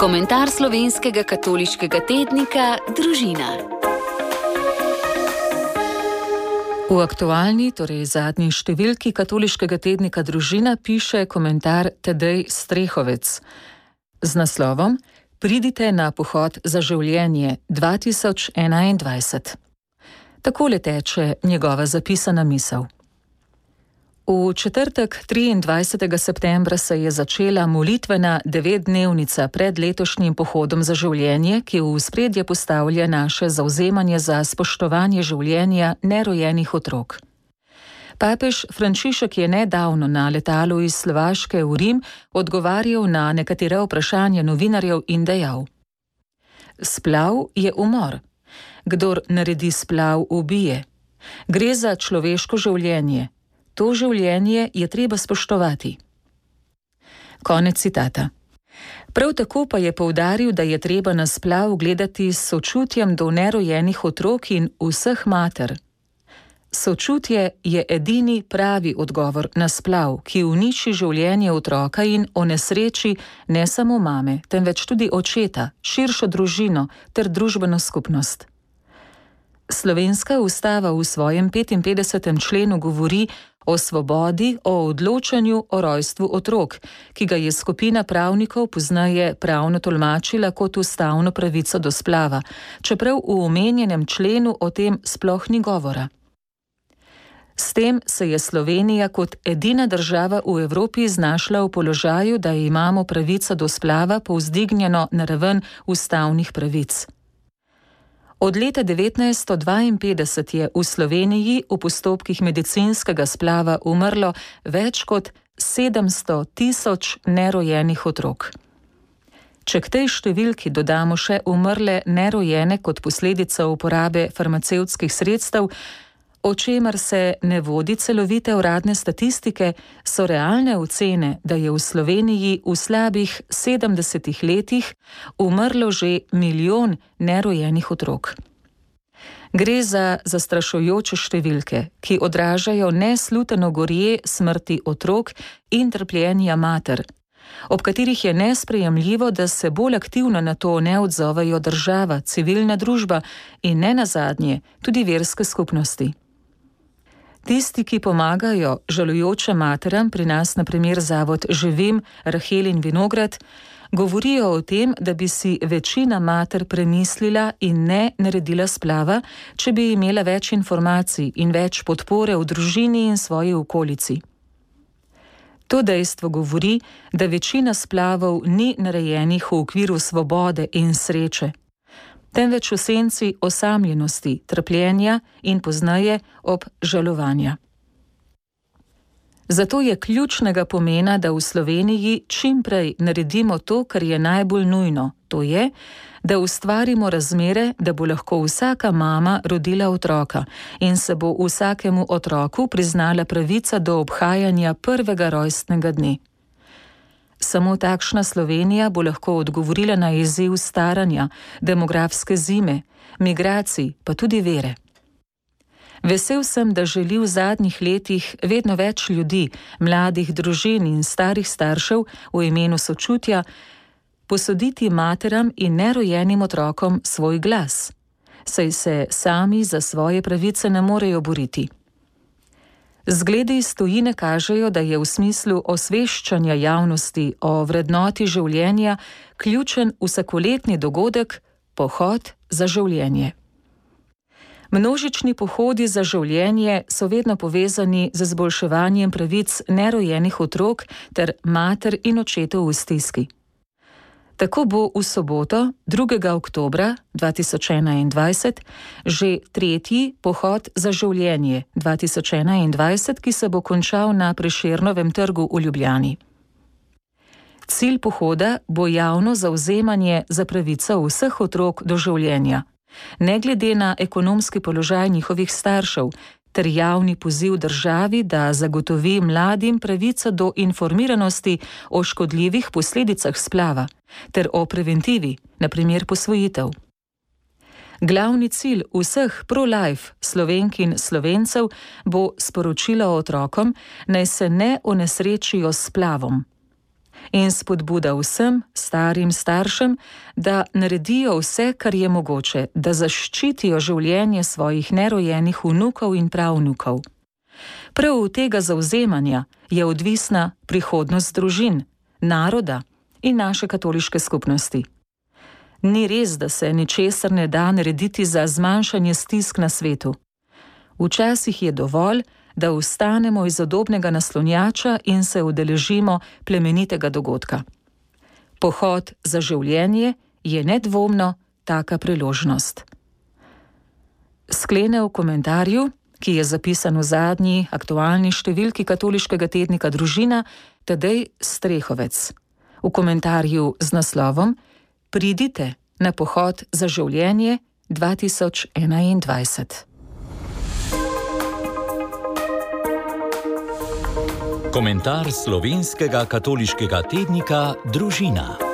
Komentar slovenskega katoliškega tednika Družina. V aktualni, torej zadnji številki katoliškega tednika Družina piše komentar Tadej Strehovec z naslovom Pridite na pohod za življenje 2021. Takole teče njegova zapisana misel. V četrtek 23. septembra se je začela molitvena 9-dnevnica pred letošnjim pohodom za življenje, ki v ospredje postavlja naše zavzemanje za spoštovanje življenja nerojenih otrok. Papež Frančišek je nedavno na letalu iz Slovaške v Rim odgovarjal na nekatera vprašanja novinarjev in dejal: Splav je umor. Kdor naredi splav, ubije. Gre za človeško življenje. To življenje je treba spoštovati. Konec citata. Prav tako pa je poudaril, da je treba na splav gledati s sočutjem do nerojenih otrok in vseh mater. Sočutje je edini pravi odgovor na splav, ki uniči življenje otroka in onesreči ne samo mame, temveč tudi očeta, širšo družino ter družbeno skupnost. Slovenska ustava v svojem 55. členu govori o svobodi, o odločanju o rojstvu otrok, ki ga je skupina pravnikov pozneje pravno tolmačila kot ustavno pravico do splava, čeprav v omenjenem členu o tem sploh ni govora. S tem se je Slovenija kot edina država v Evropi znašla v položaju, da imamo pravico do splava povzdignjeno na raven ustavnih pravic. Od leta 1952 je v Sloveniji v postopkih medicinskega splava umrlo več kot 700 000 nerojenih otrok. Če k tej številki dodamo še umrle nerojene kot posledica uporabe farmacevtskih sredstev, o čemer se ne vodi celovite uradne statistike, so realne ocene, da je v Sloveniji v slabih 70 letih umrlo že 1 milijon nerojenih otrok. Gre za zastrašujoče številke, ki odražajo nesluteno gorje smrti otrok in trpljenja mater, ob katerih je nesprejemljivo, da se bolj aktivno na to ne odzovejo država, civilna družba in nenazadnje tudi verske skupnosti. Tisti, ki pomagajo žalujočim materam, pri nas na primer zavod Živim, Rahel in Vinograd, govorijo o tem, da bi si večina mater premislila in ne naredila splava, če bi imela več informacij in več podpore v družini in svoji okolici. To dejstvo govori, da večina splavov ni narejenih v okviru svobode in sreče, temveč v senci osamljenosti, trpljenja in pozneje obžalovanja. Zato je ključnega pomena, da v Sloveniji čim prej naredimo to, kar je najbolj nujno, to je, da ustvarimo razmere, da bo lahko vsaka mama rodila otroka in se bo vsakemu otroku priznala pravica do obhajanja prvega rojstnega dne. Samo takšna Slovenija bo lahko odgovorila na izziv staranja, demografske zime, migracij, pa tudi vere. Vesel sem, da želi v zadnjih letih vedno več ljudi, mladih družin in starih staršev v imenu sočutja posoditi materam in nerojenim otrokom svoj glas, saj se sami za svoje pravice ne morejo boriti. Zgledi iz tujine kažejo, da je v smislu osveščanja javnosti o vrednoti življenja ključen vsakoletni dogodek pohod za življenje. Množični pohodi za življenje so vedno povezani z izboljševanjem pravic nerojenih otrok ter mater in očetov v stiski. Tako bo v soboto, 2. oktobra 2021, že 3. pohod za življenje 2021, ki se bo končal na Prešernovem trgu v Ljubljani. Cilj pohoda bo javno zavzemanje za pravico vseh otrok do življenja, ne glede na ekonomski položaj njihovih staršev, ter javni poziv državi, da zagotovi mladim pravico do informiranosti o škodljivih posledicah splava, ter o preventivi, na primer posvojitev. Glavni cilj vseh pro-life Slovenk in Slovencev bo sporočilo otrokom, naj se ne onesrečijo s splavom. in spodbuda vsem starim staršem, da naredijo vse, kar je mogoče, da zaščitijo življenje svojih nerojenih vnukov in pravnukov. Prav od tega zavzemanja je odvisna prihodnost družin, naroda in naše katoliške skupnosti. Ni res, da se ničesar ne da narediti za zmanjšanje stisk na svetu. Včasih je dovolj, da vstanemo iz udobnega naslonjača in se udeležimo plemenitega dogodka. Pohod za življenje je nedvomno taka priložnost. Sklene v komentarju, ki je zapisan v zadnji aktualni številki katoliškega tednika Družina, Tadej Strehovec. V komentarju z naslovom Pridite na pohod za življenje 2021. Komentar slovenskega katoliškega tednika Družina.